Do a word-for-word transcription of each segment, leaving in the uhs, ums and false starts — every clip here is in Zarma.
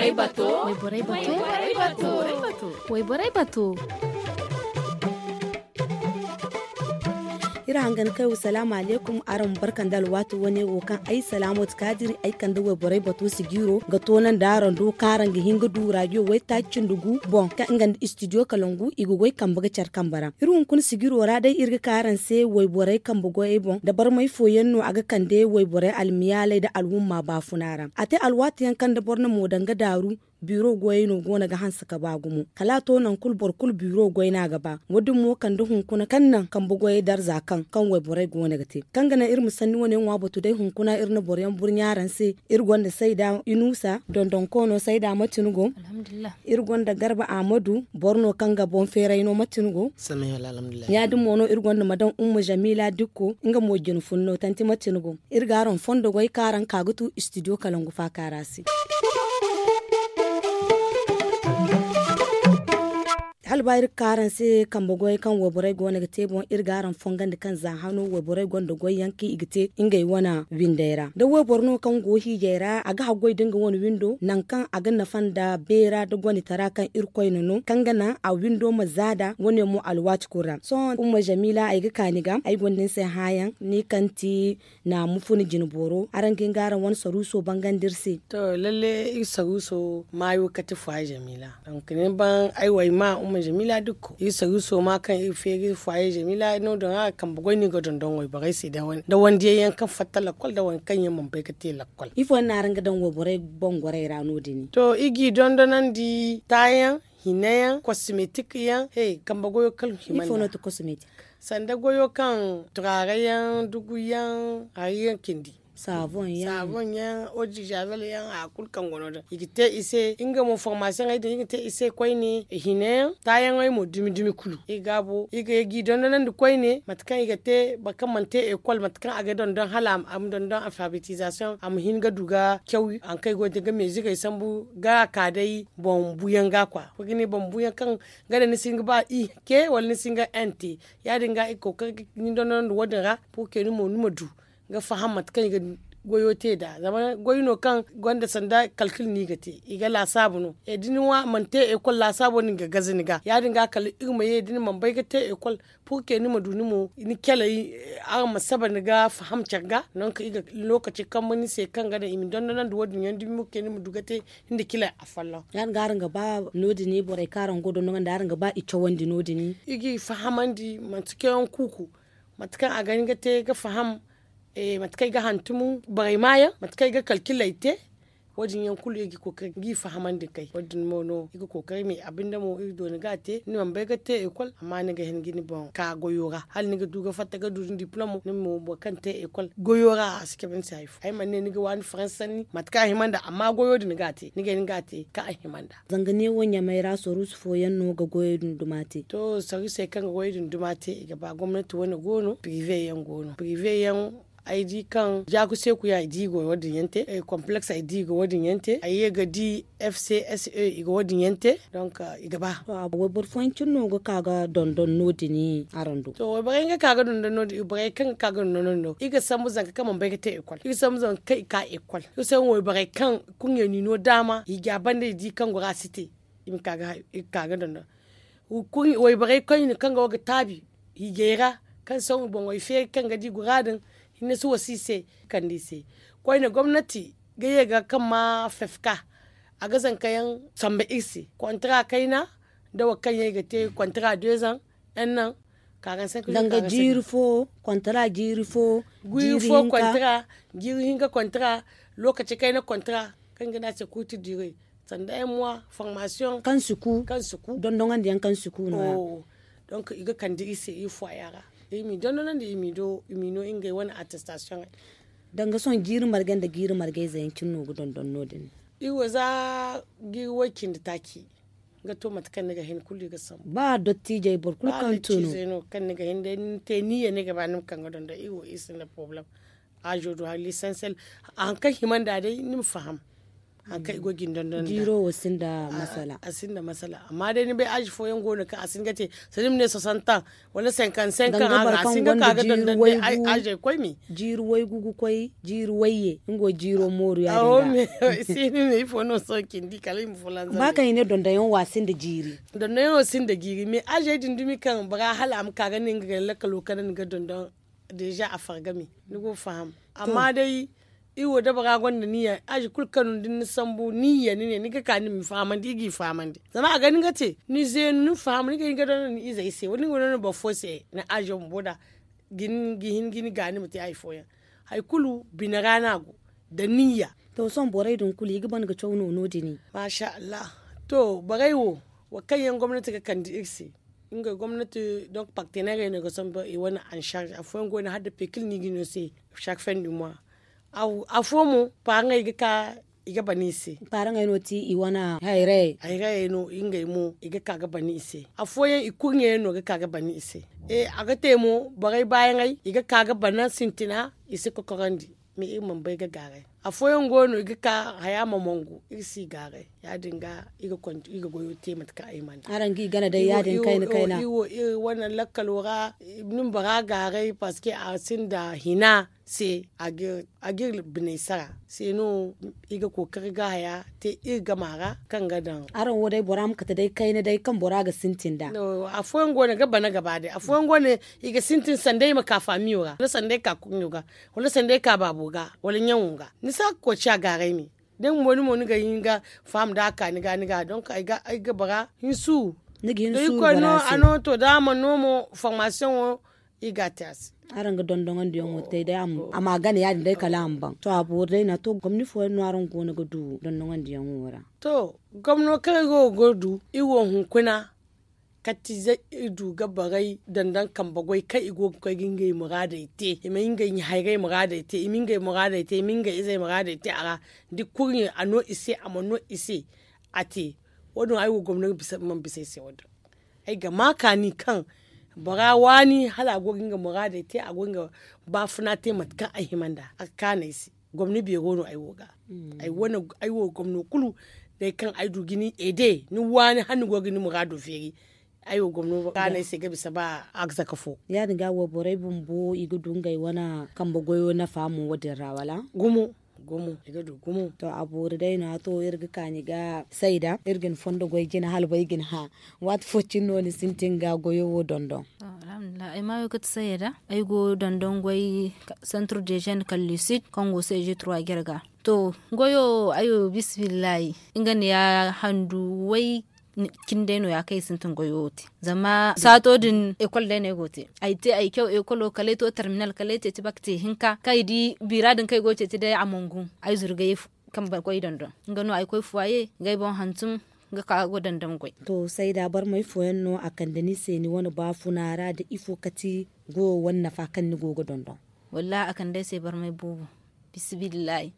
Wayborey bato. Wayborey bato. Iri hangan kay wo salaamu alaykum, araŋ ma barka nda alwaati wane wo kaŋ ay salaamo ti kaadiri ay kande wayborey bato sijiiro ga toonandi araŋ do kaŋ araŋ ga hin ga du raadiyo waytaaci cindi gu boŋ kaŋ nga nda istidiyo kalangu i ga goy kambe ga care kambe ra. Iri hunkuna sijiiro ra day iri ga ka araŋ se wayborey kambe goyey boŋ da barmay fooyaŋ no a ga kande wayborey almiyaaley nda alhumma baafuna ra. A te alwaati yaŋ kaŋ nda boro na mo daŋ ga daaru, biiro goyey no go no ga hanse ka ba gumo kala a to nangu kulu boro kulu biiro goy no a ga ba. Wo- din mo kande hunkuna kaŋ naŋ kambe goyey darza kaŋ kaŋ wayborey go no ga te kaŋ ga naŋ iri ma sanni wane ŋwa batu day hunkuna iri na boro yaŋ burɲa araŋ se. Iri gonda sayda inusa dondonko no sayda mate ni go? Iri gonda garba ahmadu boro no kaŋ ga boŋ feeray no mate ni go? Ya- din mo no iri gonda madam umma jamila dikko nga mo jina fun no tanti mate ni go? Iri ga araŋ fondo goy kaŋ araŋ ka ga tu istidiyo kalangu faaka ra se. Hala ba iri ga ka araŋ se kambe goyey kaŋ wayborey go no ga te boŋ iri ga araŋ fongandi kaŋ za hano wayborey gonda goyyaŋ kaŋ i ga te ngey wane windey ra da wayboro no kaŋ go hiijay ra a ga haggoy da nga wane windo nangu kaŋ a ga nafa nda beera nda gonditara kaŋ iri koyne no kaŋ ga naŋ a windo ma za nd'a wane mo alwaati kulu ra sohõ umma jamila ay ga ka ni ga ay gonda ni se hããyaŋ ni kaŋ ti naamu funa jina booro araŋ ga hin ga araŋ wane saruuso bangandi iri se. To lalle iri saruuso maayo kate fuwaye jamila donk ni ban ay wayma umma jamila dukko iri saruuso ma kaŋ iri feeri fuwaye jamila no- din a kambe goy no i ga dondon wayborey se nda wandiyaŋ yaŋ kaŋ fatta lakkol nda waŋ kaŋ yaŋ mana bay ga te lakkol. Ifo yaŋ no araŋ ga daŋ wayborey bangorey ra no- din? To iri g'i dondonandi taayaŋ hinayaŋ kosmetik yaŋ he kambe goyo kala hima nda sanda goyo kaŋ turaare yaŋ dugu yaŋ hari yaŋ cindi saaboŋ yaŋ odizaabel yaŋ hari kulu kaŋ go no- din i ga te i se nga mo formaasiyoŋey din iri ga te i se koyne hinayaŋ taayaŋey mo dumi dumi kulu iri ga a bo iri ga ye g'i dondonandi koyne mate kaŋ i ga te boro kaŋ mana te ekol mate kaŋ a ga dondon hala a ma dondon alfabetizaasiyoŋ a ma hin ga du ga caw hari kaŋ i go ga te ga meezirey sambu ga a ka day boŋ buyaŋ ga kwa ga ne boŋ buyaŋ kaŋ nga da ni si hin ga ba i ke wala ni si hin ga n te ya- din ga i ga kookari ga ni dondonandi wo- din ra purke ni mo ni ma du ga faham mate kaŋ i ga goyo te nd'a zama goy no kaŋ gonda sanda kalkil no i ga te i ga laasaabu no da ni ŋwa mana te ekol laasaabo no i ga gaze ni ga ya- din ga kala iri ma ye da ni mana bay ga te ekol purke ni ma du ni mo ni caley araŋ ma saba ni ga faham care ga nangu kaŋ iri ga lookaci kambe ni se kaŋ ga daŋ i ma dondonandi wo- din yaŋ dumi purke ni ma du ga te nda cila afolloŋ. Ya- din ga araŋ ga ba no- din borey kaŋ araŋ go dondonandi araŋ ga ba i cawandi no- din iri g'i fahamandi manti cawyaŋ kuuku mate kaŋ a ga hin ga te ga faham mate kaŋ ay ga hantum borey maayaŋ mate kaŋ ay ga kalkiley te wo- din yaŋ kulu iri ga kookari g'i fahamandi kay wo- din mo no iri ga kookari me abinda mo iri dooni ga a te ni mana bay ga te ekol amma ni ga hin ga ni boŋ ka goyo ra hala ni ga du ga fatta ga du ni diplom ni mo boro kaŋ te ekol goyo ra a si cabe ni se hari fo ay mana ne ni ga waani faransi sanni mate kaŋ a hima nd'a amma goyo din ga a te ni ga hin ga a te kaŋ a hima nd'a. Zanga neewo ɲamay ra saruusu fooyaŋ no ga goyey dunduma te. To saruusey kaŋ ga goyey dunduma te i ga ba gomnati wane go no pirive yaŋ go no pirive yaŋ ay di kaŋ jaaku seeku yaŋ ay di i go wo- din yaŋ te kompleks ay di i go wo- din yaŋ te ay ye ga di fcse i go wo- din yaŋ te donk i ga ba. Wayboro fooyaŋ cine no ga ka ga dondon no- din araŋ do? To wayborey nga ka ga dondon no- din borey kaŋ ga ka ga dondon no- din do i ga sambu zanka kaŋ mana bay ga te ekol i ga sambu zanka kaŋ i ka ekol i ga sambu wayborey kaŋ kurɲey n'i no daama hiija banda i di kaŋ gora si te i ma ka ga dondon wayborey koyne kaŋ go ga taabi hiijey ra kaŋ sohõ boŋey feeri kaŋ ga di gora din hinne si wasa i se kande i se koyne gomnati ga ye ga kaŋ ma fefka a ga zanka yaŋ samba iri se kontara kayna nda wo kaŋ yaŋ i ga te kontara dezan yaŋ naŋ karansenk danga jiiri fo kontara jiiri fo jiiri fo kontara jiiri hinka kontara lokaci kayna kontara kaŋ ga ne a se kurti diire sanda ay ma ŋwa formasiyoŋ kaŋ si ku kaŋ si ku dondoŋandi yaŋ kaŋ si ku no- ya donk i ga kande iri se iri fooya ra iri m'i dondonandi iri m'i no ngey wane attestasiyoŋey danga sohõ jiiri margey nda jiiri margey ze yaŋ cine no ga dondon no- din iri wo za jiiri way- cindi taaci ga to mate kaŋ ni ga hin kulu iri ga sambu ba dottijey boro kulu kaŋ to no kaŋ ni ga hin day ni te ni ye ni ga ba ni ma kaŋ ga dondon iri wo iri sinda porobalem aazo do hari lisansel hari kaŋ hima nd'a day ni ma faham Hari kaŋ i go ga ni dondon jiiro wo sinda masala. A sinda masala amma day ni bay aazi fooyaŋ go no kaŋ a si hin ga te, sanda ni ma ne soixante ans wala cinquante cinq ans a si hin ga ka ga dondon day aazey koy me. Jiiri waygu ga koy jiiri wayye nga wo jiiro mooru ya- din ga. Ba kaŋ i ne dondonyaŋ wo a sinda jiiri. Dondonyaŋ wo sinda jiiri mais aazey din dumi kaŋ bora hala a ma ka ga ne nga gay lakkalo kala ni ga dondon. Deeza a farga me ni go ga faham. Amma day iri wo da bora gonda niya aazi kulu kaŋ no da ni na sambu niya ni ne ni ga ka ni ma fahamandi iri g'i fahamandi zama a ga ni ga te ni zeenu ni ma fahamandi ni ga hin ga dondon ni izey se wala ni ga dondon boro fo se ni aazo bumbo nd'a. Ga hin ga ni gaani ma te hari fooyaŋ hari kulu bine ra no a go. Nda niya. To sohõ borey din kulu i ga ban ga caw no no- din. Maasa allah. To borey wo, wo kaŋ yaŋ gomnati ga kande iri se. Ngey gomnati donk parteneerey no i ga sambu i wane ansarz afooyaŋ go no hala nda pekil no i ga no se. Sarfen du moi. Afo mo paaraŋey ga ka i ga bana i se. Paaraŋey no ti i wane hayrayey. Hayrayey no ngey mo i ga ka ga bana i se. Afooyaŋ i kurɲey yaŋ no ga ka ga bana i se. A ga te mo borey baayaŋey i ga ka ga bana sintina. I si kokorandi. Mais iri mana bay ga gaaray. Afooyaŋ go no i ga ka haya ma mongu iri si gaaray. Ya- din ga iri ga goyo te mate kaŋ ay mana. Araŋ ga i gana day ya- din kayna kayna. Iri wo iri wane lakkalo ra ni ma bora gaaray parceque a sinda hina se. A ga iri biney sara se no. Iri ga kookari ga haya te iri gama ra kaŋ ga daŋ. Araŋ wo day bora ma kate day kayna day kaŋ bora ga sintin nd'a. Afooyaŋ go no ga bana gaba day afooyaŋ go no i ga sintin sanda i ma ka faamiyo ra wala sanda i ka kurɲo ga wala sanda ay ka baabo ga wala ɲaŋo ga. Ni si a ga koy ciya gaaray me. Da ni mo ni ga hin ga faham da a ka ni ga ni ga donk ay ga bara. Ni ga hin suuru. Da irkoy no a no to da a mana no mo formasiyoŋo. Iri ga a te a se. Araŋ ga dondoŋandiyaŋo te day a ma gana ya- din day kala a ma baŋ to a boori day no a to gomni fooyaŋ no araŋ go no ga du dondoŋandiyaŋo ra. To gomno kaŋ iri go ga du iri wo hunkuna. Katize iri du ga borey dondon kambe goy kaŋ i go ga koy ga ngey muraadey te i ma ngey ɲa hayrey muraadey te i ma ngey muraadey te i ma ngey izey muraadey te a ra. Da kurɲe a no i se a mana no i se. A te wo- din ay wo gomno mana bisa ay se wo- din. Ay ga ma kaani kaŋ bora waani hala a go ga nga muraadey te a go ga nga baafuna te mate kaŋ ay hima nd'a a ga kaanu ay se. Gomni beero no ay wo ga. Ay wo gomno kulu day kaŋ ay du ga ni ede ni waani hala ni go ga ni muraado feeri. Ay wo gomno kaanu ay se ga bisa ba arzaka fo. Ya- din ga wo borey bumbo i ga du ngey wane kambe goyo nafa mo wo- din ra wala? Gumo. Gumo i ga du gumo. To a boori day no- ya to iri ga kaani ga sayda iri ga ni fondo goy jina hala bay ga ni hã. Waati fo cine no ni sintin ga goyo wo dondon? Ay maayo ga ti sayda ay go dondon goy. Centre de jeune kallisit kaŋ go se je trois jarga. To goyo wo ay wo bismillaahi. Nga ne ya handu way. Cine day no- ya kaŋ ay sintin goyo wo te zama saato din ekol day no ay go ga te. Ay te ay caw ekolo kala ay to terminal kala ay ceeci baka te hinka kaŋ ay di biira din kaŋ ay go ga ceeci day a mana gu. Ay zuru ga ye kambe goy dondon. Nga no ay koy fuwaaye ga ay boŋ hantum ga ka ga dondon goy. To sayda barmay fooyaŋ no a kande ni se ni wane baafuna ra nda ifo kati goyo wane nafa kaŋ ni go ga dondon? Wallaahi a kande ay se barmay boobo. Bismillaahi.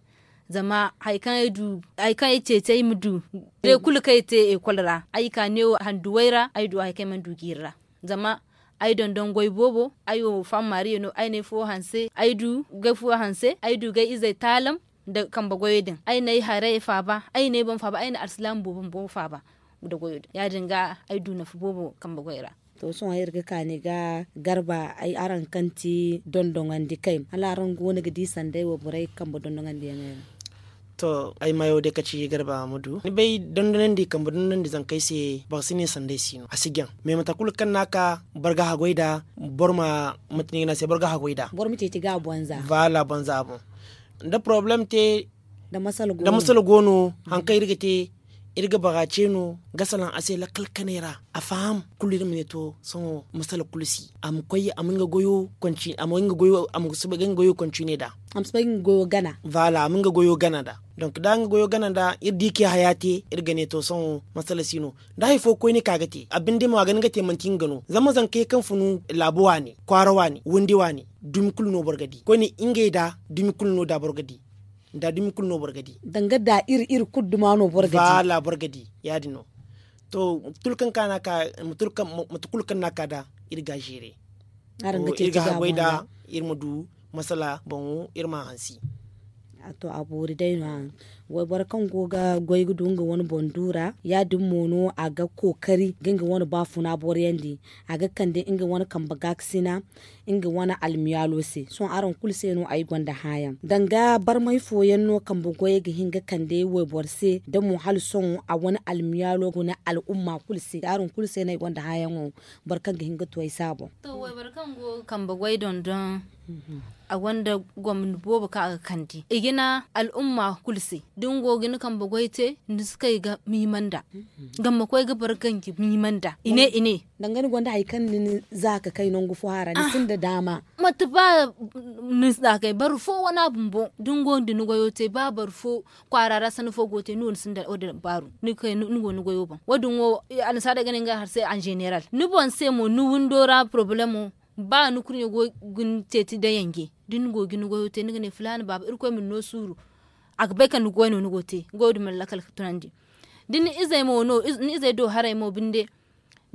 Zama hari kaŋ ay du hari kaŋ ay ceeci ay ma du day kulu kaŋ ay te ekol ra ay ka neewo handuwey ra ay du hari kaŋ ay mana du jiiri ra. Zama ay dondon goy boobo ay wo fam maariye no ay na ay fo hanse ay du ga ay fo hanse ay du ga ay izey taalam. Nda kambe goyo din ay na ay haray faaba ay na ay boŋ faaba ay na alsilaama boobo bumbo faaba. Nda goyo din ya- din ga ay du nafa boobo kambe goy ra. To sohõ iri ga kaani ga garba araŋ kaŋ ti dondoŋandi kay hala araŋ go no ga di sanday wo borey kambe dondoŋandiyaŋey ra? To ay mayo day kaci garba ma du ni bay dondoŋandi kambe dondoŋandi zankey se boro si ne sanday si no a si jaŋ. Mais mate kulu kaŋ no a ka boro ga haggoy nd'a boro ma mate no i ga ne a se boro ga haggoy nd'a. Boro ma ceeci ga a bonza. Voilà bonza boŋ. Da porobalem te da masala go no hari kaŋ iri ga te iri ga bara ce no ga salaŋ a se lakkal kanay ra a faham. Kulu iri ma ne to sohõ masala kulu si a ma koy a ma nga goyo konci a ma nga goyo a ma si bay ga nga goyo konci ne nd'a. A ma si bay ga nga goyo gana. Voilà a ma nga goyo gana nd'a. Donk da nga goyo gana nd'a iri di kaŋ i haya te iri ga ne to sohõ masala si no. Da hari fo koyne ka ga te a binde mo a ga ni ga te manti nga no zama zankey kaŋ funu laabu waani kwaara waani windi waani dumi kulu no boro ga di koyne ngey da dumi kulu no da boro ga di. Nda dumi kulu no boro ga di. Danga da iri iri kulu duma no boro ga di. Voilà boro ga di ya- din no. To mate kulu kaŋ ka no a ka mate kulu kaŋ no a ka nd'a iri ga a zeere. Iri ga haggoy nd'a iri ma du masala boŋo iri ma a hansi. To a boori day no- ya. Wayboro kaŋ go ga goy ga du nga wane boŋ du ra ya- din mo no a ga kookari ga nga wane baafuna boroyandi. A ga kande nga wane kambe gaakasina nga wane almiyaalo se sohõ araŋ kulu se no ay gonda hãayaŋ danga barmay fooyaŋ no kambe goyey ga hin ga kande wayboro se da mo hala sohõ a wane almiyaalo guna al'umma kulu se araŋ kulu se no ay gonda hãayaŋo. Boro kaŋ ga hin ga tu ay se a boŋ. To wayboro kaŋ go ga kambe goy dondon a gonda gomni boobo kaŋ a ga kande i ga na al'umma kulu se da ni go ga ni kambe goy te ni si kay ga miima nd'a. Zama ma koy ga boro ganji miima nd'a i ne i ne. Danga ni gonda hari kaŋ ni za ka kay nangu fo hara ni sinda daama. Mate ba ni za ka kay boro fo wane a bumbo da ni go ga ni goyo te ba boro fo kwaara ra sanni fo go ga te ni wo ni sinda wo- din baaru ni go ni goyo boŋ wo- din wo. Annasaarey ga ne nga hari se en general ni boŋ se mo ni windo ra porobalemo ba ni kurɲo go ga ni ceeci nda yanje da ni go ga ni goyo te ni ga ne filaana baaba irkoy ma ni no suuru. A ga bay kaŋ ni goy no ni go ga te goyo din mana lakkal ga tunandi. Da ni izey mo no ni izey do haray mo binde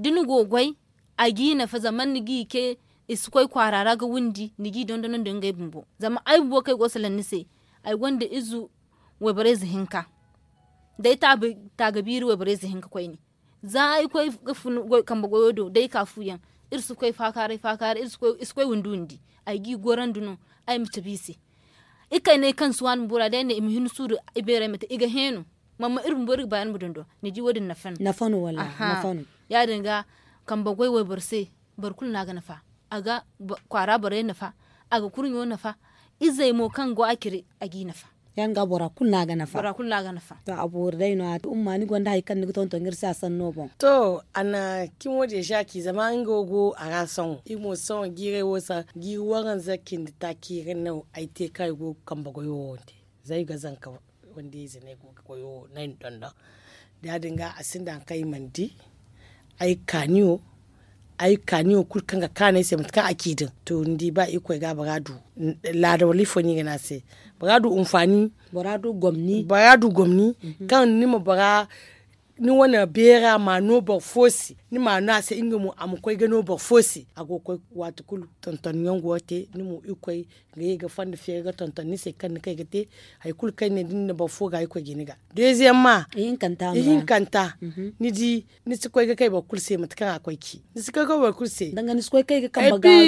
da ni go ga goy a g'i nafa zama ni g'i ce i si koy kwaara ra ga windi ni g'i dondonandi ngey bumbo zama ay bumbo kaŋ ay go ga salaŋ ni se. Ay gonda ize wayborey ize hinka da ay taabi taaga biiri wayborey ize hinka koyne. Za ay koy ga fun kambe goyo do da ay ka fu yaŋ iri si koy faakaaray faakaaray iri si koy windi windi. Ay g'i gorandi no ay ma cabe i se. Ikayney kaŋ si waani bumbo ra da ay ne i ma hin suuru ibeerey ma te i ga heeno. Mama iri bumbo iri ga ba iri ma dondon ni di wo- din nafa no. Nafa no wallaahi nafa no. Ya- din ga kambe goy wayboro se boro kulu no a ga nafa. A ga kwaara borey nafa a ga kurɲo nafa. Izey mo kaŋ go a cire a g'i nafa. Ya- din ga bora kulu no a ga nafa. To a boori day no- ya to umma ni gonda hari kaŋ ni ga tonton iri se a sanno boŋ. To a na cimo deeza ci zama nga wo go a ra sohõ iri mo sohõ jiiray wo se jiiri waranza cindi taaci ra no ay te kaŋ ay go ga kambe goyo wo te. Za ay ga zanka wande ize no ay go ga goyo no ay na dondon. Da ya- din ga a sinda hari kaŋ ay mana di ay kaaniyo ay kaaniyo kulu kaŋ ga kaanu ay se mate kaŋ a ci din to ni di ba irkoy ga bora du laada wala ifo no i ga ne a se. Bora du hinfaani bora du gomni kaŋ ni ma bora ni wane beera ma no boro fo se ni ma no a se nga mo a ma koy ga no boro fo se a go ga koy waati kulu tonton yaŋ go ga te ni mo irkoy ga ye ga fonda feeri ga tonton ni se kaŋ ni kay ga te. Hari kulu kaŋ ay ne da ni na boro fo ga irkoy ga ni ga deeziyamma ihinkanta ni di ni si koy ga kay boro kulu se mate kaŋ a koy ci ni si koy ga kay boro kulu se.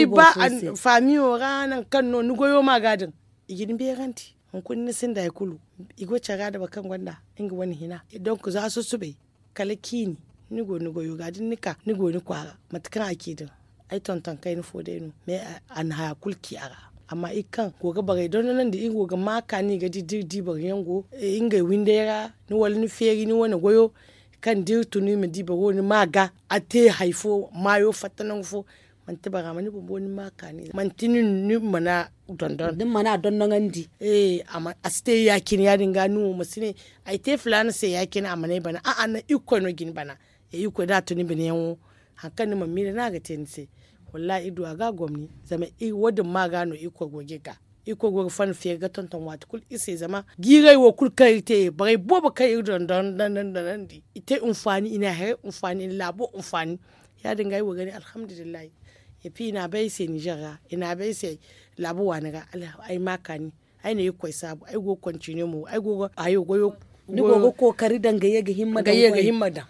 Ba faamiyo ra nangu kaŋ no ni goyo ma ga din i ga ni beerandi. Hunkuna ni sinda hari kulu i go care ra da boro kaŋ gonda nga wane hina donk za susubay kala ciini ni go ni goyo ga da ni na ka ni go ni kwaara mate kaŋ a ci din. Ay tonton kayna fo day no mais a na haya kulu ci a ra. Amma iri kaŋ go ga borey dondonandi iri go ga ma kaani ga di da iri di boro yaŋ go ngey windey ra ni wala ni feeri ni wane goyo kaŋ da iri tun iri ma di boro wo ni ma ga a te hari fo maayo fatta nangu fo. Manti bora ma ni bumbo ni ma kaani manti nin ni mana dondon da ni mana dondoŋandi. A si te ya- cine ya- din ga ni wo ma si ne ay te filaana se ya- cine a mana ay bana a'a naŋ irkoy no ga ni bana. Irkoy da a tun ni bine yaŋo hari kaŋ ni mana miila no a ga te ni se. Wallahi iri du a ga gomni zama wo- din ma ga no irkoy go ga iri ga irkoy go ga fonda feeri ga tonton waati kulu iri se zama jiiray wo kulu kaŋ iri te borey boobo kaŋ iri dondonandi i te hinfaani i na haray hinfaani i na laabo hinfaani. Ya- din ga ay wo ga ne alhamdulillahi. Epi i na a bay ay se nizer ra i na a bay ay se laabu waani ra. Ay ma kaani ay na irkoy saabu ay go ga kontine mo ay go ga hayo goyo. Ni go ga kookari daŋ ga ye ga himma daŋ ga ye ga himma daŋ.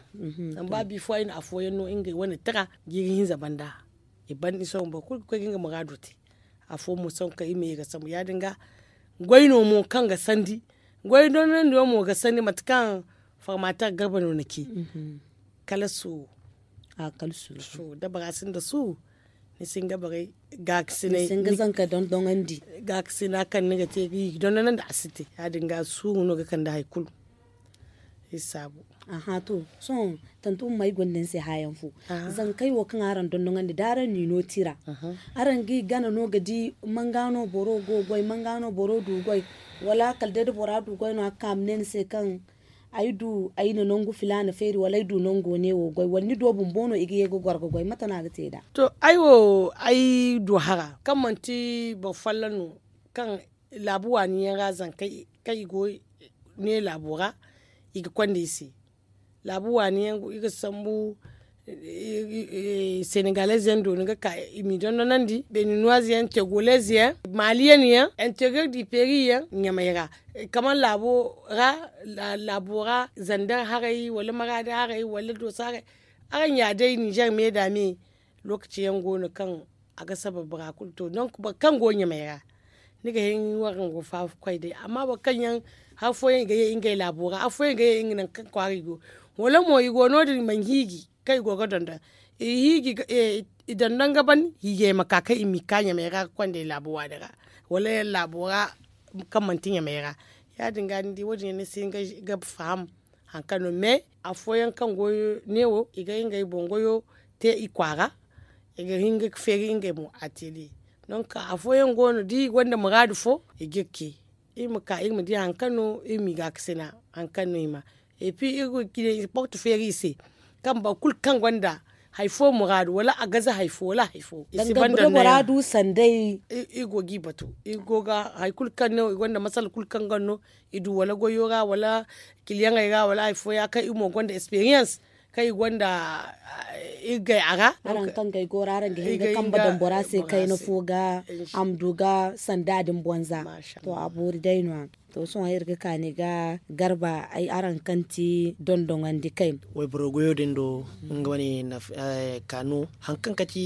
Zama ba bifo ay na afooyaŋ no ngey wane tira jiiri hinza banda. I ban ni sohõ boro kulu ga koy ga nga muraado te. Afo mo sohõ kaŋ i ma ye ga sambu ya- din ga goy no mo kaŋ ga sandi goy dondonandiyaŋ mo ga sandi mate kaŋ formater garba no na ci. Kala suuru. Da bora sinda suuru ni si hin ga borey gaakasinay gaakasina kaŋ ni ga te ga i ga dondonandi a si te. Ya- din ga suuru no ga kande hari kulu. Iri saabu. Aha to sohõ tante umma ay gonda ni se haayaŋ fo. Zankey wo kaŋ araŋ dondoŋandi da araŋ n'i no tira araŋ g'i gana no ga di manga no boro go ga goy manga no boro du ga goy? Wala kala day da bora du goy no a ga ka a ma ne ni se kaŋ ay du ay na nangu filaana feeri wala ay du nango ne wo goy wala ni do bumbo no i ga ye ga goro ga goy mate no a ga te nd'a? To ay wo ay du hara kaŋ manti boro folloŋ no kaŋ laabu waani yaŋ ra zankey kaŋ i go ne laabo ra i ga konda i se. Laabu waani yaŋ i ga sambu Senegaleez yaŋ do ni ga ka i m'i dondonandi beninuwaaze yaŋ tegolez yaŋ, maaliyen yaŋ, interiyer di peri yaŋ ɲamey ra. Kamar laabo ra, laabo ra zandar haray wala maraadi haray wala dooso haray. Araŋ ya day ninzeer me da me. Lookaci yaŋ go no kaŋ a ga sabab bora kulu to donk boro kaŋ go ɲamey ra, ni ga hin warango faafa koy day amma boro kaŋ yaŋ hari fooyaŋ i ga ye ngey laabo ra hari fooyaŋ i ga ye nga nangu kaŋ kwaara i go. Wala mo i go no- din i mana hiiji kaŋ i go ga dondon. I hiiji i dondon ga ban hiijay ma ka kaŋ i m'i ka ɲamey ra ga konda i laabo waani ra wala yaŋ laabo ra kaŋ manti ɲamey ra. Ya- din ga ni di wo- din yaŋ ni si hin ga faham hari kaŋ no mais afooyaŋ kaŋ goyo neewo i ga ngey boŋ goyo te i kwaara. I ga hin ga feeri ngey mo ateliye. Donk afooyaŋ go no da i gonda muraadu fo i g'iri ce iri ma ka iri ma di hari kaŋ no iri m'i gaakasina hari kaŋ no i ma. Epi iri porte feeri i se kaŋ boro kulu kaŋ gonda hari fo muraadu wala a gaze hari fo wala hari fo i si ban da muraadu sanday. Iri go g'i batu iri go ga hari kulu kaŋ no i gonda masala kulu kaŋ ga no i du wala goyo ra wala kiliyaŋey ra wala hari fo ya kaŋ iri mo gonda esperiyans kaŋ i gonda iri gay a ra. Araŋ kaŋ ga ay go ra araŋ ga hin ga kambe daŋ bora se kayna fo ga a ma du ga sanda din bonza. To a boori day no- ya. To sohõ iri ga kaani ga garba ay araŋ kaŋ ti dondoŋandi kay. Wayboro goyo din do nga wane kaanu hari kaŋ kati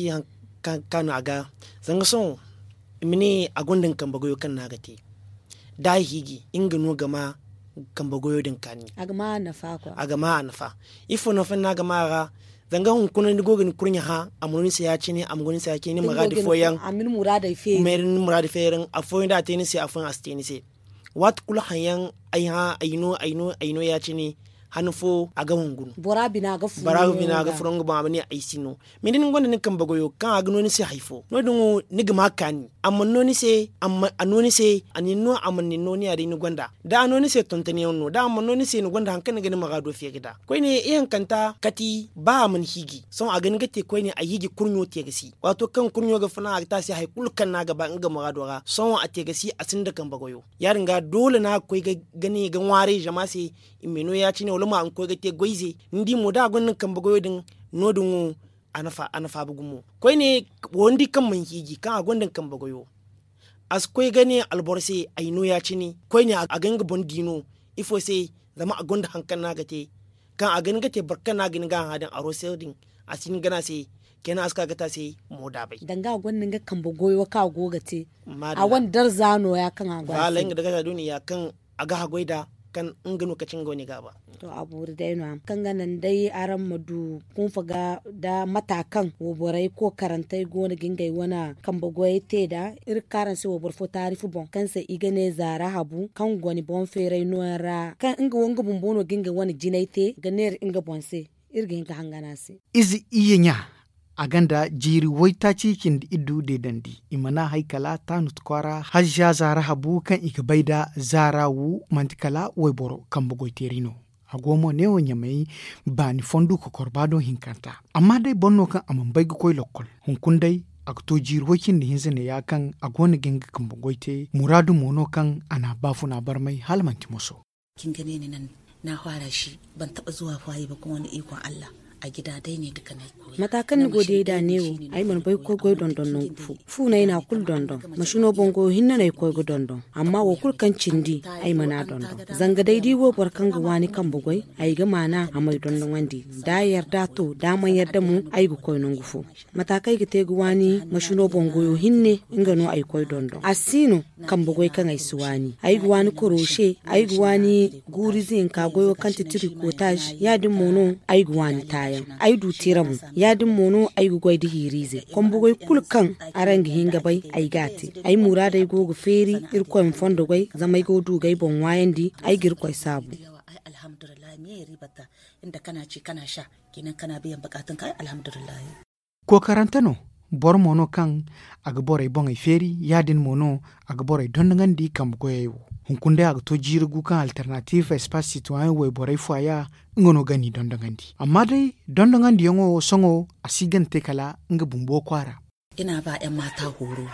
kaanu a ga zanga sohõ i ma ne a gonda nga kambe goyo kaŋ no a ga te da a hiiji nga no ga ma kambe goyo din kaani. A ga ma a nafa ifo nafa no a ga ma a ra? Zanga hunkuna ni go ga ni kurɲe hã a ma no ni se ya- cine a ma go ni se ya- cine ni muraadi fooyaŋ ni muraadi feeriŋ afooyaŋ da a te ni se afooyaŋ a si te ni se. Waati kulu haŋ yaŋ ay hã ay no ay no ay no ya- cine han fo a ga hungu no. Bora bina ga furo nga boŋ a ma ne ay si no. Mais da ni gonda ni kambe goyo kaŋ a ga no ni se hari fo no- din wo ni ga ma kaani a mana no ni se a mana ni no ni ya- din ni gonda da a no ni se tonton yaŋ no da a mana no ni se ni gonda hari kaŋ ni ga ni muraado feeri nd'a. Koyne ihankanta kati ba a mana hiiji sohõ a ga hin ga te koyne a hiiji kurɲo te ga si waato kaŋ kurɲo ga funa a ga te a se hari kulu kaŋ no a ga ba nga muraado ra sohõ a te ga si a sinda kambe goyo. Ya- din ga doole no a ga koy ga ne ga ŋwaaray zama se i ma ay no ya- cine wala mo a ma koy ga te goy ize ni di mo da a gonda nga kambe goyo din no- din wo a na faabu gumo. Koyne wo ni di kaŋ mana hiiji kaŋ a gonda nga kambe goyo a si koy ga ne alboro se ay no ya- cine koyne a ga nga boŋ di no. Ifo se zama a gonda hari kaŋ no a ga te kaŋ a ga hin ga te boro kaŋ no a ga hin ga a hã din a roseer din a si hin ga ne a se kayna a si ka ga te a se. Mo daabay danga a gonda nga kambe goyo kaŋ a go ga te a wane darza no- ya kaŋ a go a se. Nga dagaza do no- ya kaŋ a ga haggoy nd'a kaŋ nga no kaci nga wane gaaba. To a boori day no- ya kaŋ ga naŋ day araŋ ma du kunfa ga nda mata kaŋ wayborey kookarantey go no ga ngey wane kambe goyey te nd'a. Iri ga ka araŋ se wayboro fo taarifu boŋ kaŋ se i ga ne zaara habu kaŋ goni boŋ feeray nooyaŋ ra kaŋ nga wo nga bumbo no ga nga wane jinay te ga neera nga boŋ se. Iri ga hin ga hangan a se. Ize iyye ɲa a gonda jiiri waytaaci cindi iddu deedandi i mana hay kala taanut kwaara hajja zaara habu kaŋ i ga bay nda zaara wu manti kala wayboro kambe goyteeri no. A go mo neewo ɲamey baani fondu kokorba do hinkanta. Amma day boro no kaŋ a mana bay ga koy lokkol hunkuna day a ga to jiiri way cindi hinza neeya kaŋ a go no ga nga kambe goy te muraadu mo no kaŋ a na a baafuna barmay hala manti moso. Cin ga ne ni naŋ na faara si ban taɓa zuwa faayi ba kuma wani ikon allah. A gida day ne duka na ay koy. Mata kaŋ ni go diyay nd'a neewo ay mana bay ga koy goy dondon nangu fo. Fu no ay na a kulu dondon. Masino boŋ goyo hinne no ay koy ga dondon amma wo kulu kaŋ cindi ay mana a dondon. Zanga day da i wo boro kaŋ ga waani kambe goy ay ga maana a m'ay dondonandi da a yarda to da a mana yarda mo. Ay ga koy nangu fo mata kaŋ ay ga te ga waani masino boŋ goyo hinne nga no ay koy dondon a si no. Kambe goy kaŋ ay si waani ay ga waani koroshe ay ga waani guurize hinka goyo kaŋ ti tirikotaaz ya- din mo no ay ga waani taayaŋ. Ay du tira mo ya- din mo no ay ga goy nda hiiriize kambe goy kulu kaŋ araŋ ga hin ga bay ay ga a te. Ay muraadey go ga feeri irkoy ma fondo goy zama ay go ga du ga ay boŋ ŋwaayandi ay ga irkoy saabu. Alhamdulillahi me ya riibata nda kana ci kana sha kenan kana biyan bukaatunka ay alhamdulillahi. Kookarante no boro mo no kaŋ a ga borey boŋey feeri ya- din mo no a ga borey dondonandi kambe goyey wo. Hunkuna day a ga to jiiri gu kaŋ alternative espace citoyen wayborey fo a ya nga no ga n'i dondonandi amma day dondonandiyaŋo wo sohõ a si ga ni te kala nga bumbo kwaara. Ina ba yan maata horo.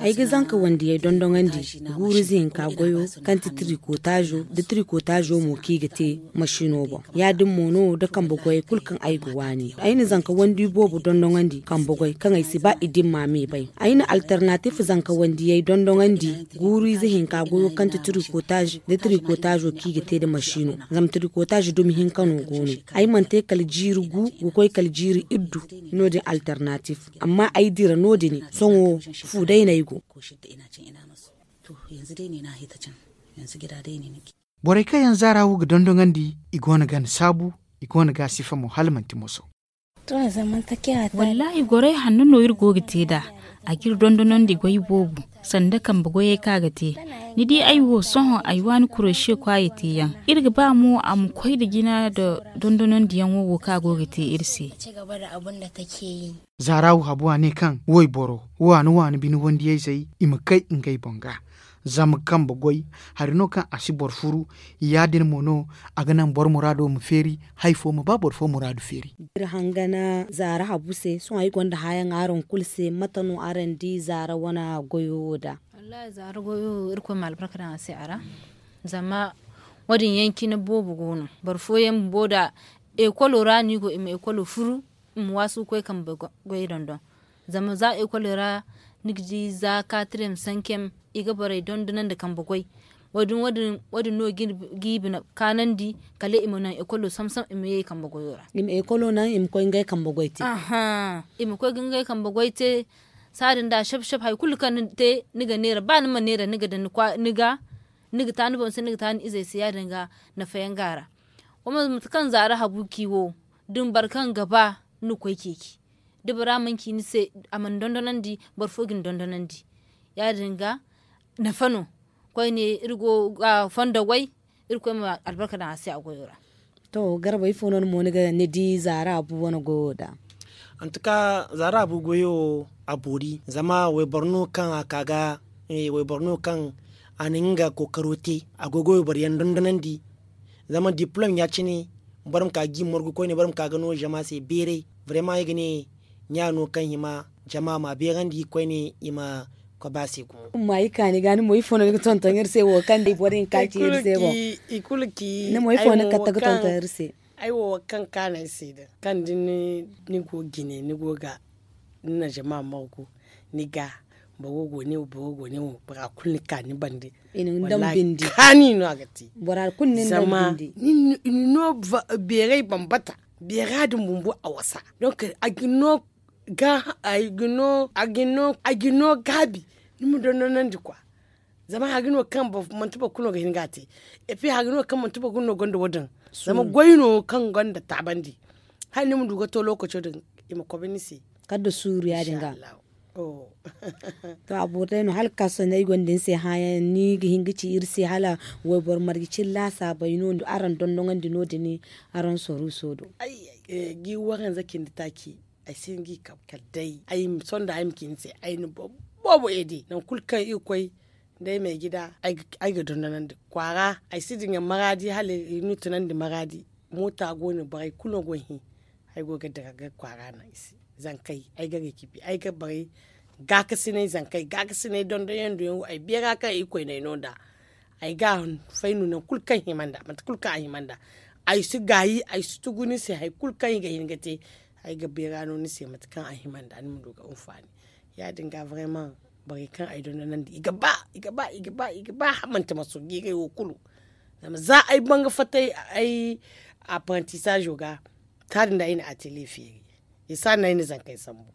Ay ga zanka wandiyey dondonandi guuru ize hinka goyo kaŋ ti tirikotaazo nda tirikotaazo mo kaŋ i ga te masino boŋ. Ya- din mo no da kambe goyey kulu kaŋ ay ga waani ay na zanka wandi boobo dondonandi kambe goy kaŋ ay si ba i dimma me bay. Ay na alternatif zanka wandiyey dondonandi guuru ize hinka goyo kaŋ ti tirikotaazo nda tirikotaazo kaŋ i ga te nda masino. Zama tirikotaazo dumi hinka no go no. Ay mana te kala jiiri gu ga koy kala jiiri iddu. No- din alternatif. Amma ay dira no- din sohõ fu day no ay go. Borey kaŋ yaŋ zaara wo ga dondonandi i go no ga ni saabu. I go no ga a sifa mo hala manti moso. Wallaahi gorey hanno no iri go ga te nd'a. A ga iri dondonandi goy boobo sanda kambe goyey kaŋ a ga te. Ni di ay wo sohõ ay waani kuroshe kwaayey te yaŋ. Iri ga ba mo a ma koy nda jina nda dondonandiyaŋo wo kaŋ a go ga te iri se. Zaara wo habu a ne kaŋ wayboro waani waani bine wandiyayzey i ma kay ngey boŋ ga. Zama kambe goy hari no kaŋ a si boro furu. Ya- din mo no a ga naŋ boro muraado ma feeri. Hari fo ma ba boro fo muraadu feeri. Iri hangana zaara habu se sohõ ay gonda hãyaŋ araŋ kulu se mate no araŋ di zaara wane goyo wo nd'a? Wallaahi zaara goyo irkoy ma albarka daŋ a se a ra. Zama wo- din yaŋ cine boobo go no boro fooyaŋ bumbo nda ekolo ra no i go i ma ekolo furu. I ma waasu ga koy kambe goy dondon. Zama za ekolo ra ni ga di za kaatirem sankem i ga borey dondonandi kambe goy. Wo- din no ga i bine kaanandi kala i ma naŋ ekolo samsam i ma ye i kambe goyo ra. I ma ekolo naŋ i ma koy ngey kambe goy te. I ma koy ga ngey kambe goy te. Saadin da shap shap hari kulu kaŋ ni te ni ga neera ba ni ma neera ni ga daŋ ni ga ni ga ta ni boŋ se ni ga ta ni izey se ya- din ga nafa yaŋ go a ra. Wo mo mate kaŋ zaara habu ci wo da ni boro kaŋ ga ba ni ga koy ceeci. Da bora mana ci ni se a mana dondonandi boro fo ga ni dondonandi. Ya- din ga nafa no. Koyne iri go ga fondo goy. Irkoy ma albarka daŋ a se a goyo ra. To garba ifo no ni mo ni di zaara abu wane goyo da? Antuka zaara abu goyo wo a boori zama wayboro no kaŋ a ka ga wayboro no kaŋ a na nga kookaro te. A go ga wayboro yaŋ dondonandi. Zama diplom ya- cine boro ma ka ga i morgu koyne boro ma ka ga no zama se beeray. Barema ay ga ne ɲa no kaŋ hima jama ma beerandi koyne i ma koy ba se gumo. Amma i kaani ga ni mo ifo no ni ga tonton iri se wo kaŋ day boro hinka ci iri se boŋ? Ni mo ifo no ni ga kate ga tonton iri se? Ay wo kaŋ kaana ay se din kaŋ da ni go jine ni go ga ni na jama morgu ni ga boro go ne wo boro go ne wo bora kulu ni ka ni bande. Wallahi kaani no a ga te. Bora kulu ni na daŋ bindi. Ni no beeray bambata. Beera din bumbo a wasa. Donc a ga no ga a ga no a ga no a ga no gaabi. Ni ma dondonandi kwa. Zama hari no kaŋ manti boro kulu no ga hin ga a te. Et puis hari no kaŋ manti boro kulu no gonda wo daŋ. Zama goy no kaŋ gonda taabandi. Hala ni ma du ga to lookaco din i ma kobe ni se. Kala da suuru ya- din ga. To a boro day no hala ga ka sohõ ay gonda ni se hãayaŋ ni ga hin ga ci iri se hala wayboro marje cine laasaabey no araŋ dondoŋandi no- din araŋ soruuso do? Gi waranza cindi taaci. Ay si hin ga i kabe kala day ay ma sonda ay ma ci ni se ay na boro boobo eede nangu kulu kaŋ iri koy. Da ay ma ay gida ay ga dondonandi kwaara ay si diŋa maraadi hala i na tunandi maraadi. Moota go no borey kulu no go ga hin. Ay go ga dira ga kwaara naŋ i se zankey ay ga ga cibi ay ga borey gaakasinay zankey gaakasinay dondonyaŋ duyaŋ wo ay beera kaŋ iri koyney no nd'a. Ay ga a fay no nangu kulu kaŋ hima nd'a mate kulu kaŋ a hima nd'a. Ay si gaayi ay si tugu ni se hari kulu kaŋ i ga hin ga te. Ay ga beera no ni se mate kaŋ a hima nd'a ni ma du ga anfaani. Ya- din ga vraiment borey kaŋ ay dondonandi i ga ba i ga ba i ga ba i ga ba hamante maso jiiray wo kulu. Zama za ay banga fatta ay apprentissage wo ga taadin da ay na atelier feeri. I si a no ay na zankey sambu.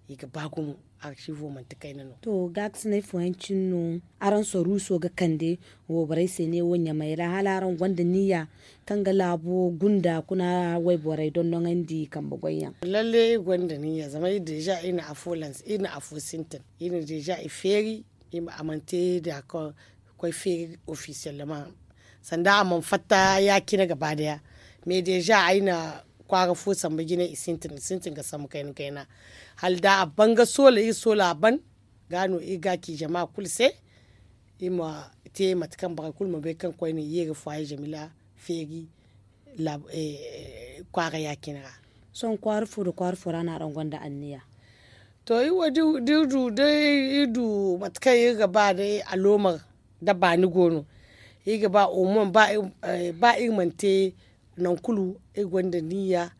I ga ba gumo archivo manti kayna no. To gaakasinay fooyaŋ cine no araŋ soruuso ga kande wayborey se neewo ɲamey ra hala araŋ gonda niyya kaŋ ga laabo gunda kuna wayborey dondoŋandi kambe goyyaŋ? Lalle iri gonda niyya zama iri deja iri na afo lanse iri na afo sintin iri na deja i feeri. A mana te d'accord koy feeri officiellement sanda a mana fatta ya- cine gaba daya. Mais deja ay na kwaara fo sambu jine i sintin i sintin ga sambu kayna kayna. Hala da a ban ga soola iri soola a ban ga no iri ga a ci jama kulu se. Iri ma te mate kaŋ borey kulu ma bay kaŋ koyne i ye ga faayi jamila feeri kwaara ya- cine ra. Sohõ kwaara fo nda kwaara fo ra no araŋ gonda anniya? To iri wo da iri du day iri du mate kaŋ iri ga ba day aloomar da baani go no. Iri ga ba omo ba iri mana te nangu kulu iri gonda niyya.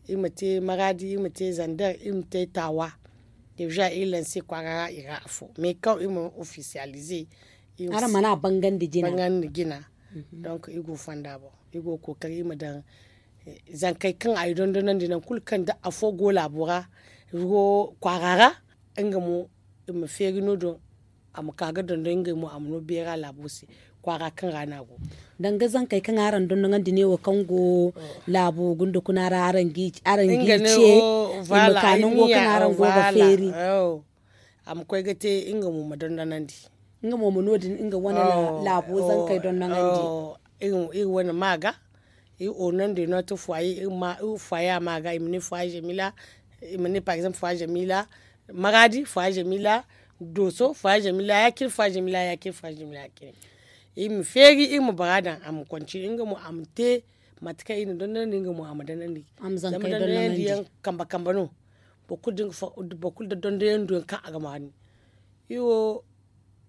Iri ma te maraadi iri ma te zandar iri ma te taawa. Deeza iri lanse kwaara ra i ra afo mais kaŋ iri mana ofisiyalize. Araŋ mana bangandi jina. Donk iri go fonda boŋ iri go ga kookari iri ma daŋ zankey kaŋ a i dondonandi nangu kulu kaŋ da afo go laabo ra. Iri go kwaara ra nga mo i ma feeri no- din a ma ka ga dondon ngey mo a ma no beera laabo se kwaara kaŋ ra no a go. Danga zankey kaŋ araŋ dondoŋandi ne wo kaŋ go laabo gunda kuna ra araŋ g'i ce i ma ka nango kaŋ araŋ go ga feeri. A ma koy ga te nga mo ma dondonandi. Nga mo ma no- din nga wane laabo zankey dondoŋandi. Iri wane ma ga iri oonandi no te fwaye iri fwaye a ma ga i ma ne fwaye jamila. I ma ne par exemple fwaye jamila, maraadi fwaye jamila, dooso fwaye jamila ya- cine fwaye jamila ya- cine fwaye jamila ya- cine. Iri ma feeri iri ma bara daŋ a ma konci nga mo a ma te mate kaŋ iri na dondonandi nga mo a ma dondonandi. Zama dondonandi yaŋ kambe kambe no. Boro kulu da dondonandi yaŋ kaŋ a ga maanu. Iri wo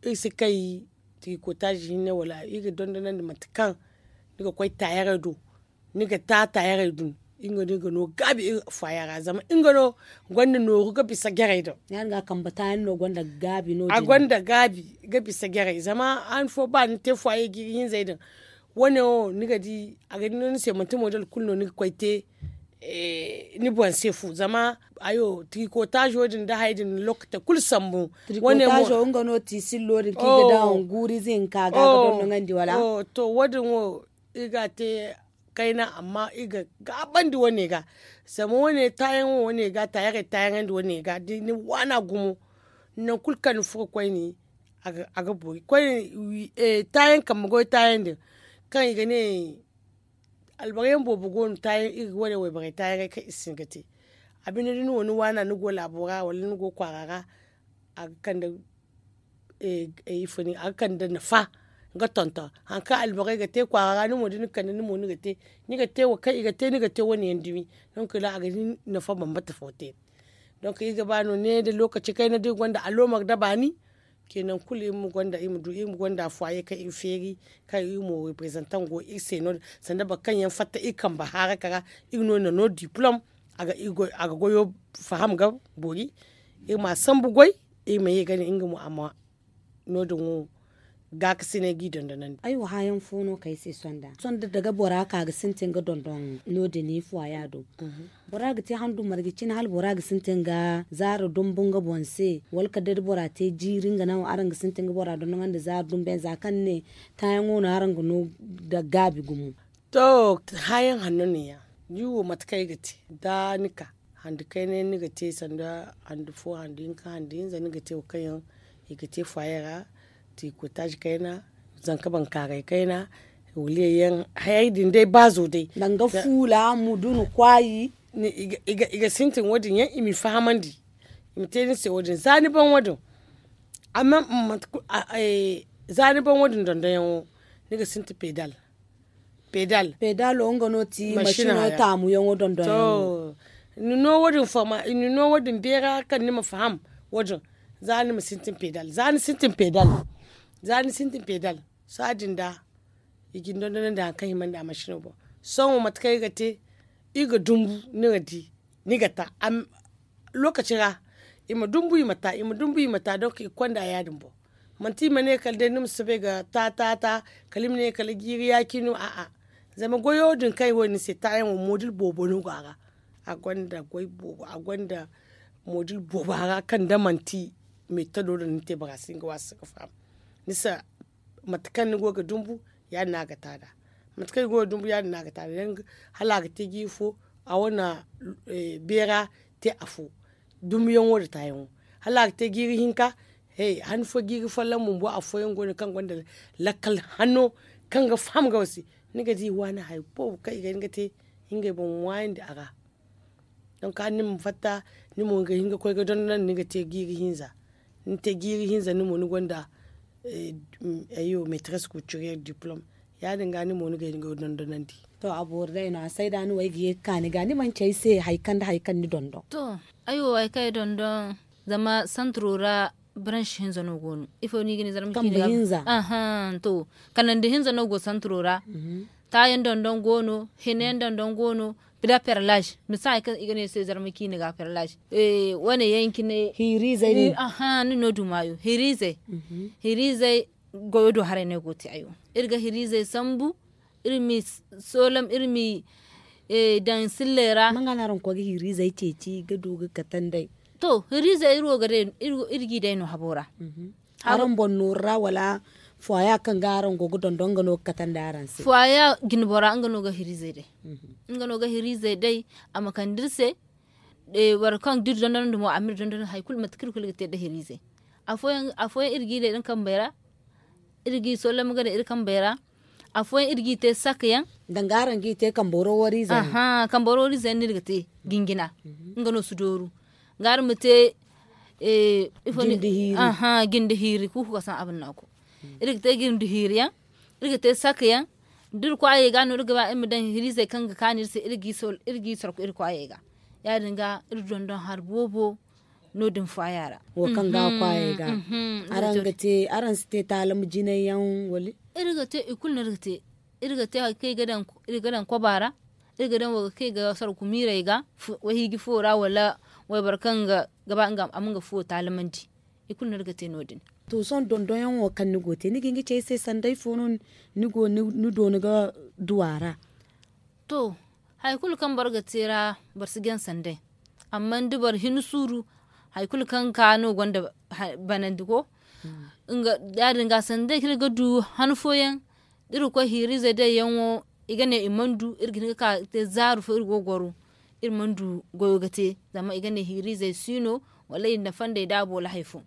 iri si kay tirikotaazi hinne wala iri ga dondonandi mate kaŋ ni ga koy taayaray do. Ni ga ta taayaray dun nga no iri ga no gaabi iri fwaaya ra zama nga no gonda nooru ga bisa jaray din. A gonda gaabi ga bisa jaray zama han fo ba ni te fwaaya jiiri hinzey din. Wane wo ni ga di a ga di no ni se manti model kulu no ni ga koy te. Ni boŋ se fu zama hayo tirikotaazo din da haya din lookate kulu sambu. Tirikotaazo nga no tiisillo din kaŋ i ga daŋ guuri ize hinka ga a ga dondoŋandi wala? To wo- din wo iri ga a te kayna amma iri ga gaabandi wane ga. Zama wane taayaŋ wo wane ga taayaŋ wane ga da ni waana gumo nangu kulu kaŋ ni furo koyne. A ga boori koyne taayaŋ kambe goy taayaŋ din kaŋ i ga ne albaryaŋ boobo go no taayaŋ iri ga wane wayborey taayaŋey kaŋ iri si hin ga te. A binde da ni wo ni waana ni go laabo ra wala ni go kwaara ra a ga kande ifo ni a ga kande nafa. Ga tonton hari kaŋ alborey ga te kwaara ra ni mo da ni ga kande ni mo ni ga te ni ga te wo kaŋ i ga te ni ga te wane yaŋ dumi. Donk ra a ga di nafa bambata fo te. Donk iri ga ba no ne nda lookaci kayna da iri gonda aloomar da baani. Ke nangu kulu iri ma gonda iri ma du iri ma gonda fwaaye kaŋ iri feeri kaŋ iri mo reprezantaŋ go iri se no- din sanda boro kaŋ yaŋ fatta iri kambe haaraka ra. Iri no na no diplom a ga goyo faham ga boori. Iri ma a sambu goy iri ma ye ga ne nga mo a ma no- din wo gaakasinay g'i dondonandi. Ay wo haayaŋ fo no kaŋ ay se sonda sonda daga bora ka ga sintin ga dondon no- din i fwaya do. Bora ga te handu marje cine hala bora ga sintin ga zaara dumbu nga boŋ se wala kala day da bora te jiiri nga naŋ araŋ ga sintin ga bora dondonandi zaara dumbu yaŋ za kaŋ ni ne taayaŋo no araŋ ga no nda gaabi gumo. To haayaŋ hanno no- ya ni wo mate kaŋ ay ga te da ni ka handu kayna yaŋ ni ga te sanda handu fo handu hinka handu hinza ni ga te wo kaŋ yaŋ i ga te fwaya ra. Tirikotaazi kayna zanka bankaaray kayna. Waliya yaŋ hayey din day baazo day danga fuula mudunu kwaayi. I ga sintin wo- din yaŋ i m'i fahamandi i ma te ni se wo- din za ni ban wo- din. Amma za ni ban wo- din dondonyaŋo ni ga sintin pedal. Pedal pedalo nga no ti masino taamuyaŋo dondonyaŋo. Ni no wo- din fama ni no wo- din beera kaŋ ni ma faham wo- din. Za ni ma sintin pedal za ni sintin pedal za ni sintin pedal. Saadin da i ga ni dondonandi hari kaŋ himandi a masino boŋ. Sohõ mate kaŋ iri ga te iri ga dumbu ni ga di ni ga ta. Lookaci ra i ma dumbu i ma ta i ma dumbu i ma ta donk i ga konda ya- din boŋ. Manti i ma ne kala day ni ma si bay ga ta ta ta kala i ma ne kala jiiri yaaci no a'a. Zama goyo din kaŋ i wo ni se taayaŋo moodil boobo no go a ra. A gonda goy boobo a gonda moodil boobo a ra kaŋ da manti meetodo din ni te bora si hin ga waasu ga faham. Ni si mate kaŋ ni go ga dumbu ya- din no a ga ta nd'a. Mate kaŋ ni go ga dumbu ya- din no a ga ta nd'a hala a ga te jiiri fo a wane beera te afo. Dumbuyaŋo nda taayaŋo hala a ga te jiiri hinka. He han fo jiiri folloŋ bumbo afooyaŋ go no kaŋ gonda lakkal hanno kaŋ ga faham ga wasi. Ni ga di waani hari boobo kaŋ i ga hin ga te ngey boŋ ŋwaayandi a ra. Donk hala ni ma fatta ni mo ga hin ga koy ga dondonandi ni ga te jiiri hinza. Ni te jiiri hinza ni mo ni gonda ayyo metres kucuriyel diplom. Ya- din ga ni mo ni ga hin ga dondonandi. To a boori day no a sayda ni wo ay ga ye ga ka ni ga ni manci ay se hari kaŋ nda hari kaŋ ni dondon. To ay wo hari kaŋ ay dondon Zama santiro ra baransi hinza no go no ifo no i ga ne zarma ciini ga. Ahan to, kanandi hinza no go santiro ra. Taayaŋ dondon go no, hina yaŋ dondon go no. Pila perlaz misa hari kaŋ i ga ne se zarma ciini ga perlaz. Wane yaŋ cine hiirizey. Ni no du maayo hiirizey. Hiirizey goyo do haray no ay go ga te ayo. Iri ga hiirizey sambu, iri m'i soolam iri m'i daŋ silley ra. Manga no araŋ ga koy ga hiirizey ceeci ga du ga katandey? To hiirizey iri wo ga day iri g'i day no habo ra. Araŋ boŋ nooru ra wala fuwaya kaŋ ga araŋ go ga dondon nga no ga katandi araŋ se? Fuwaya jinbo ra nga no ga hiirizey day. Nga no ga hiirizey day a ma kande iri se. Boro kaŋ da iri dondonandi mo a ma iri dondon hari kulu mate kaŋ iri kulu ga te nda hiirizey. Afooyaŋ iri g'i day nda kambey ra. Iri g'i sollam ga daŋ iri kambey ra. Afooyaŋ iri g'i te sakka yaŋ. Danga araŋ g'i te kambe waro wariize yaŋ. Kambe waro wariize yaŋ no iri ga te jinjina. Nga no si dooru. Ga araŋ ma te ifo ni jindi hiiri kuuku ga saŋ abannako. Iri ga te jindi hiiri yaŋ. Iri ga te sakka yaŋ. Da iri kwaayey ga no iri ga ba iri ma daŋ hiirizey kaŋ ga kaanu iri se iri g'i sorku iri kwaayey ga. Ya- din ga iri dondon hari boobo no- din fuwaya ra. Wo kaŋ ga kwaayey ga. Araŋ si te taalama jinay yaŋ wala? Iri ga te i kulu no iri ga te. Iri ga te hari kaŋ iri ga daŋ koba ra. Iri ga daŋ wo ga kaŋ i ga sorku miirey ga. Wahiiji fo ra wala wayboro kaŋ ga ba a ma nga fuwo taalamandi. I kulu no iri ga te no- din. To sohõ dondonyaŋo kaŋ ni go ga te ni ga hin ga ci ay se sanda ifo no ni doona ga du a ra? To hari kulu kaŋ boro ga te ra boro si jaŋ sanday. Amma da boro hin suuru hari kulu kaŋ ka no gonda banandi ko. Ya- din ga sanday kaŋ iri ga du han fooyaŋ da iri ga koy hiiriize day yaŋo i ga ne i mana du iri ga hin ga ka ga te zaaru fo iri go ga goro. Iri mana du goyo ga te zama i ga ne hiiriizey si no wala i na fandey da a boolo hari fo.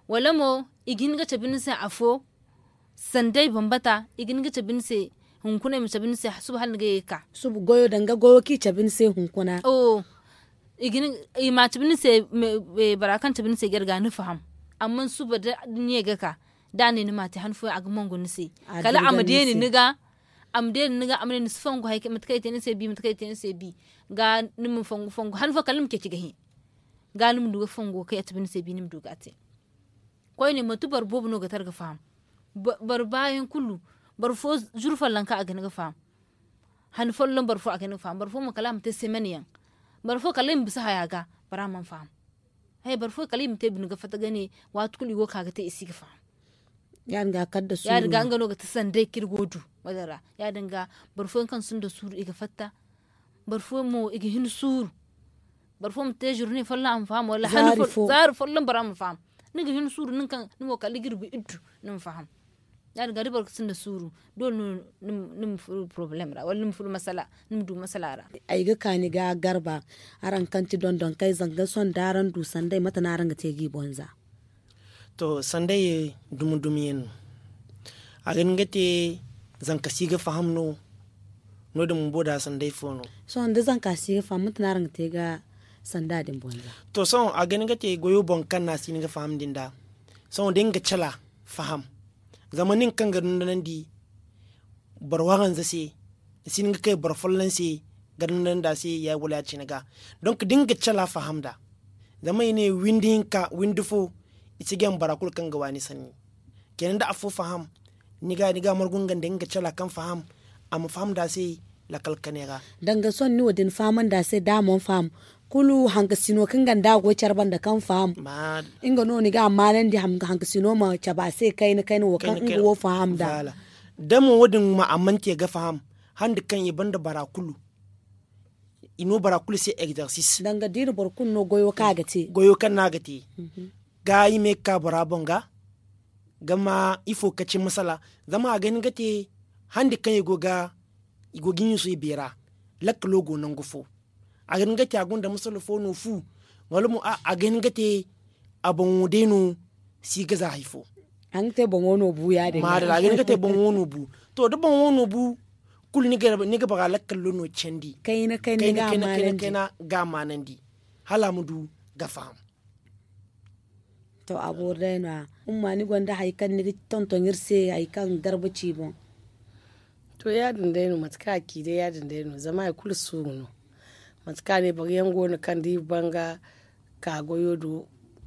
Wala mo i ga hin ga cabe ni se afo sanday bambata i ga hin ga cabe ni se. Hunkuna i ma cabe ni se suba hala ni ga ye ga ka suba goyo danga goyo kaŋ i cabe ni se hunkuna. I ma cabe ni se bora kaŋ cabe ni se jarga ni faham. Amma suba da ni ye ga ka da a ne ni ma a te han fooyaŋ a ga mongo ni se kala a ma deeni ni ga. A ma deeni ni ga a ma ne ni si fongu hari kaŋ mate kaŋ i te ni se bi mate kaŋ i te ni se bi ga ni ma fongu fongu han fooyaŋ kala ni ma ceeci ga hẽ. Ga ni ma du ga fongo kaŋ a cabe ni se bi ni ma du ga a te. Koyne manti boro boobo no ga tara ga faham. Boro baayaŋ kulu boro fo zuru follonka a ga hin ga faham. Han folloŋ boro fo a ga hin ga faham boro fo mo kala a ma te semen yaŋ. Boro fo kala i ma bisa haya ga bora mana faham. Boro fo kala i ma te bine ga fatta ga ne waati kulu i go ga ka ga te i si ga faham. Ya- din ga kala da suuru ya- din ga nga no ga ti sanday kaŋ iri go ga du. Wadin ra ya- din ga boro fooyaŋ kaŋ sinda suuru i ga fatta. Boro fooyaŋ mo i ga hin suuru. Boro fooyaŋ ma te zurne folloŋ a ma faham wala zaari folloŋ bora ma faham. Ni ga hin suuru nin kaŋ ni mo kala ga iri bi iddu ni ma faham. Ya- din ga da boro ga sinda suuru doole no ni ma furo porobalem ra wala ni ma furo masala. Ni ma du masala ra. Ay ga ka ni ga garba araŋ kaŋ ti dondon kay zanga sohõ da araŋ du sanday mate no araŋ ga te ga i boŋ za? To sanday dumi dumi yaŋ no. A ga hin ga te zanka si ga faham no. No- din bumbo da sanday fo no? Sohõ da zanka si ga faham mate no araŋ ga te ga sanda din boŋ za? To sohõ a ga hin ga te goyo boŋ kaŋ no a si hin ga faham din da. Sohõ da nga cala faham zama nin kaŋ ga dondonandi boro waranza se ni si hin ga kay boro folloŋ se ga dondonandi a se ya- wala ya- cine ga. Donk da nga cala faham nd'a zama i ne windi hinka windi fo i si jaŋ bora kulu kaŋ ga waani sanni. Kenan da afo faham ni ga margu nga nda nga cala kaŋ faham a ma faham nd'a se. Lakkal kane ra danga sohõ ni wo- din fahamandi a se da a mana faham kulu hankasino kaŋ ganda a go care banda kaŋ faham. Nga no ni ga a maanandi hankasino ma cabe a se kayna kayna wo kaŋ nga wo faham nd'a. Da mo wo- din ma a mana te ga faham handi kaŋ i banda bora kulu i no bora kulu se egzersis danga da i na boro kulu no goyo kaŋ a ga te goyo kaŋ no a ga te ga i ma ye ga ka bora boŋ ga ga ma ifo ga ci masala. Zama a ga hin ga te handi kaŋ i go ga i go ga i ɲuusu i beera lakkalo go nangu fo. A ga hin ga te a gonda masala fo no fu wala mo a ga hin ga te a boŋo day no si ga za hari fo. A ga hin ga te boŋo no bu ya- din ga a ga hin ga te boŋo no bu. To da boŋo no bu kulu ni ga bora lakkalo no candi kayna kayna ga a maanandi hala a ma du ga faham. To a boori day no- ya umma ni gonda hari kaŋ ni ga tonton iri se hari kaŋ garba ci boŋ? To ya- din day no mate kaŋ a ci day ya- din day no zama hari kulu suuru no. Mate kaŋ a ne boro yaŋ go no kaŋ da iri banga ka goyo do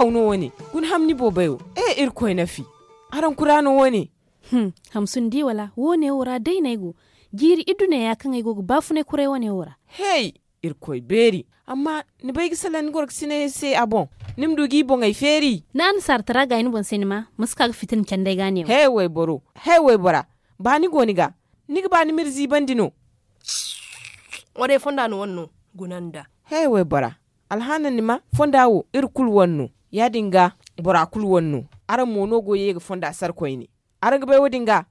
Aw no wane. Guna hamni boobayo. E irkoy nafi. Araŋ kura no wane. Hamsun di wala wo- ne wo ra day no ay go. Jiiri iddu neeya kaŋ ay go ga baafunay kuray wo- ne wo ra. Hey, irkoy beeri. Amma ni bay ga salaŋ ni gorgasiney se a boŋ? Ni ma du g'i boŋey feeri. Ni annasaara tara gaayi ni boŋ se ni ma ma si ka ga fitina candi ay ga a ne wo. Hey wayboro. Hey waybora. Ba ni go ni ga? Ni ga ba ni m'iri ziibandi no? Wo day fonda no wane no. Guna nda. Hey waybora. Alhaana ni ma fonda wo iri kulu wane no. Ya- din ga bora kulu wane no. Araŋ mo no go ye ga fonda sara koyne. Araŋ ga bay wo- din ga?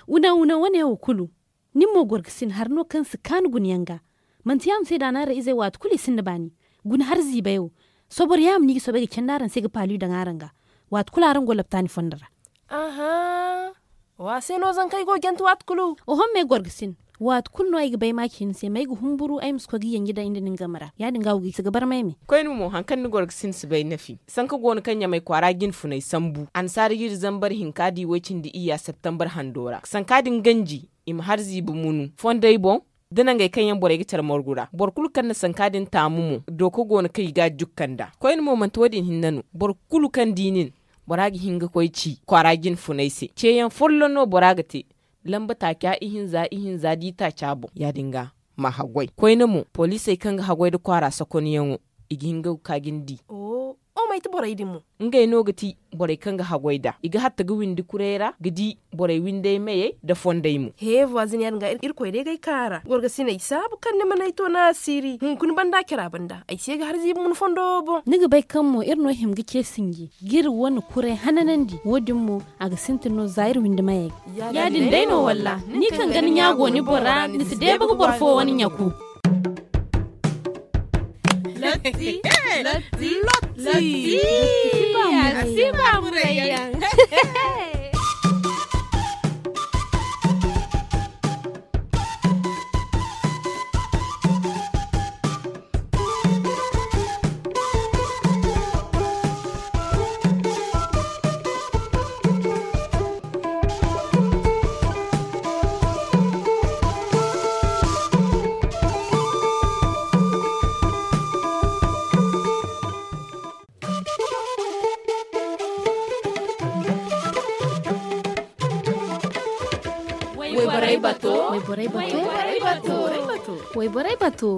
Wuna wuna wane wo kulu. Nin mo gorgasin hari no kaŋ si kaanu gunayaŋ ga. Manti yaama se daanaarey izey waati kulu i sinda baani. Guna hari ziibay wo. Sobor yaama no i ga soobay ga candi araŋ se ga paali daŋ araŋ ga. Waati kulu araŋ go laptaani fondo ra. Aha. Wa se no zankey go jante waati kulu? Oho me gorgasin. Waati kulu no ay ga bay maaci ni se ma ay ga humburu ay ma si koy ga yanji daŋ ay nda nin game ra. Ya- din ga wo ga i si ga barmay me. Koyne mo hari kaŋ ni gorgasin si bay nafi sanka go no kaŋ ɲamay kwaara jinfunay sambu annasaara jiiri zambar hinka di way-cindi iyya septembar hando ra sanka din ganji. I ma hari ziibi munu fondey boŋ. Da nangey kaŋ yaŋ borey ga care margu ra boro kulu kaŋ na sanka din taamu mo. Dooka go no kaŋ i ga a jukka nd'a koyne mo manti wo- din hinne no. Boro kulu kaŋ di nin bora ga hin ga koy ci kwaara jinfunay se ceeyaŋ folloŋ no bora ga te. Lamba taaca ihinza ihinza da i taaca boŋ ya- din ga ma haggoy koyne mo poliisey kaŋ ga haggoy nda kwaara sakonyaŋo. I ga hin ga ga ka ga ni di. O o may ti borey din mo? Ngey no ga ti borey kaŋ ga haggoy nd'a i ga hatta ga windi kuray ra ga di borey windey meyey nda fondey mo. He voisin ya- din ga irkoy day ga ay kaara gorgasiney saabu kaŋ ni mana ay to naasiiri hunkuna banda care a banda ay se ga har ziibi mun fondo wo boŋ. Ni ga bay kaŋ mo iri no hima ga ce sinji ga iri wane kuray hananandi wo- din mo a ga sintin no za iri windi mayey ga. Ya- din day no walla ni kaŋ ga ni ɲa go ni bora ni si deeba ga boro fo wane ɲaku. Lotti. Lotti. Lotti. Lotti. Lotti. Waiborai bato. Waiborai bato. Waiborai bato. Waiborai bato.